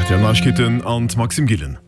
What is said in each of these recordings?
Rtl Neiegkeeten an d'Maxime Gillen.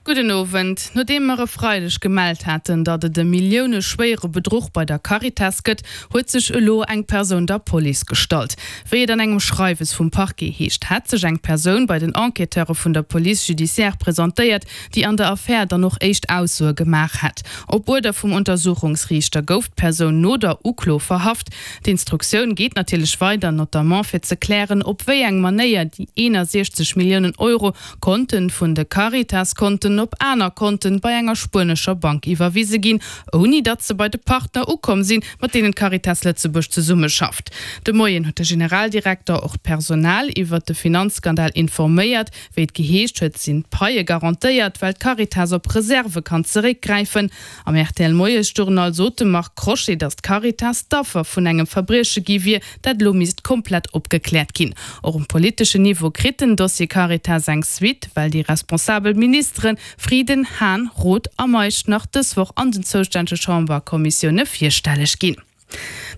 Gudden Owend. Nodeem mer e Freideg gemellt haten, datt et e milliouneschwéiere Bedruch bei der Caritas gëtt, huet sech elo eng Persoun der Police gestallt. Wéi et an engem Schreiwes vum Parquet heescht, hätt sech eng Persoun bei den Enquêteure vun der Police judiciaire presentéiert, déi an der Affär dann och éischt Aussoe gemaach hätt. Op Uerder vum Untersuchungsriichter gouf d'Persoun no der Uklo verhaft. D'Instruktioun geet natierlech weider, notamment fir ze klären, op wéi eng Manéier déi 61 Milliounen Euro konnten vun de Caritas-Konten op aner Konten bei enger spuenescher Bank iwwerwise ginn, ouni datt se bei de Partner ukomm sinn, mat deenen d'Caritas Lëtzebuerg zesummeschafft. De Moien huet de Generaldirekter och d'Personal iwwert de Finanzskandal informéiert. Wéi et geheescht huet, sinn d'Paie garantéiert, well d'Caritas op Reserve kann zeréckgräifen. Am rtl Moiesjournal sot de Marc Crochet, datt d'Caritas d'Affer vun engem Verbrieche gi wier, dat elo misst komplett opgekläert ginn. Och um politeschen Niveau kritt den Dossier Caritas eng Suite, well déi responsabel Ministere Frieden, Hahn, Roth a Meisch nach dës Woch an den zoustännege Chamberkommissioune virstelleg ginn.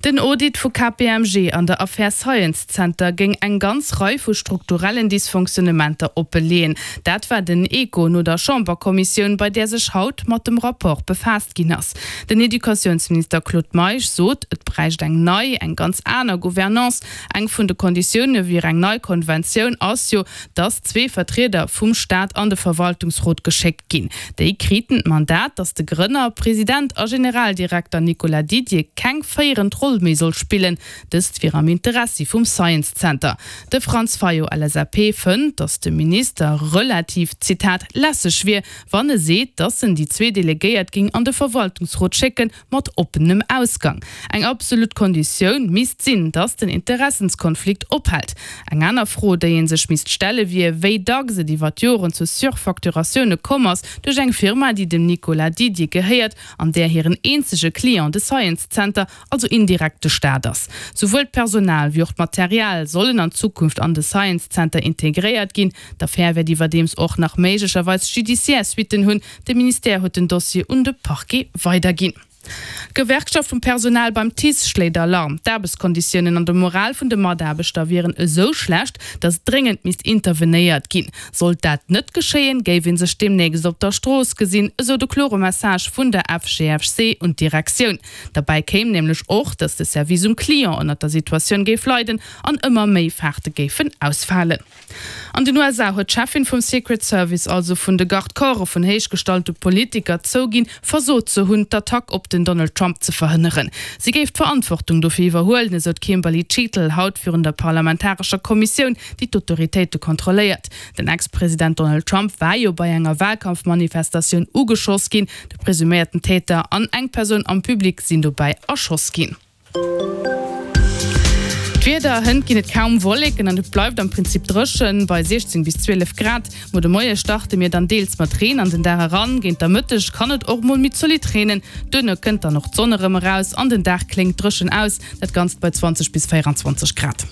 Den Audit vu KPMG an der Affär Science Center géing eng ganz Rei vu strukturellen Dysfonctionnementer oppe leeën. Dat war den Echo no der Chamberkommissioun, bei där sech haut mat dem Rapport befaasst ginn ass. Den Educatiounsminister Claude Meisch sot, et bräicht eng nei, eng ganz aner Gouvernance. Eng vun de Konditioune wier eng nei Konventioun ass jo, datt zwee Vertrieder vum Staat an de Verwaltungsrot geschéckt ginn. Déi kriten d'Mandat, datt de Grënner, President a Generaldirekter Nicolas Didier keng féierend Roll méi soll spillen. Dëst wier am Interessi vum Science Center. De Franz Fayot, LSAP, fënnt, datt de Minister relativ, Zitat, lässeg wier, wann e seet, datt en déi zwee Delegéiert géing an de Verwaltungsrot schécken, mat oppenem Ausgang. Eng absolut Konditioun misst sinn, datt den Interessenskonflikt ophält. Eng aner Fro, déi ee sech misst stelle wier, wéi dacks et iwwer d'Joren zu Surfacturatioune komm ass duerch eng Firma, déi dem Nicolas Didier gehéiert an där hiren eenzege Client de Science Center, also indirekt de Staat ass. Souwuel d'Personal wéi och d'Material sollen an Zukunft an de Science Center integréiert ginn. D'Affär wäert iwwerdeems och nach méiglecherweis judiciaire Suitten hunn. De Ministère huet den Dossier un de Parquet weiderginn. D'Gewerkschaft vum Personal beim TICE schléit Alarm. D'Aarbechtskonditiounen an de Moral vun de Mataarbechter wieren esou schlecht, datt dréngend misst intervenéiert ginn. Sollt dat net geschéien, géif ee sech deemnächst op der Strooss gesinn, esou de klore Message vun der FGFC un d'Direktioun. Derbäi kéim nämlech och, datt de Service um Client ënnert der Situatioun géif leiden an ëmmer méi Faarte géifen ausfalen. An den USA huet d'Cheffin vum Secret Service, also vun de Garde-corpse vun héichgestallte Politiker, zouginn, versot ze hunn, d'Attack op den Donald Trump ze verhënneren. Si géif d'Verantwortung dofir iwwerhuelen, esou d'Kimberly Cheatle haut virun der parlamentarescher Kommissioun, déi d'Autoritéite kontrolléiert. Den Ex-President Donald Trump war jo bei enger Walkampfmanifestatioun ugeschoss ginn. De presuméierten Täter an eng Persoun am Public sinn dobäi erschoss ginn. D'Wieder, Hënt ginn et kaum Wolleken an et bleift am Prinzip dréchen bei 16 bis 12 Grad. Muer de Moie starte mir dann deels mat Reen an den Dag eran, géint der Mëtteg kann et och mol méi zolidd reenen. Duerno kënnt dann och d'Sonn erëm eraus an den Dag kléngt dréchen aus, dat Ganzt bei 20 bis 24 Grad.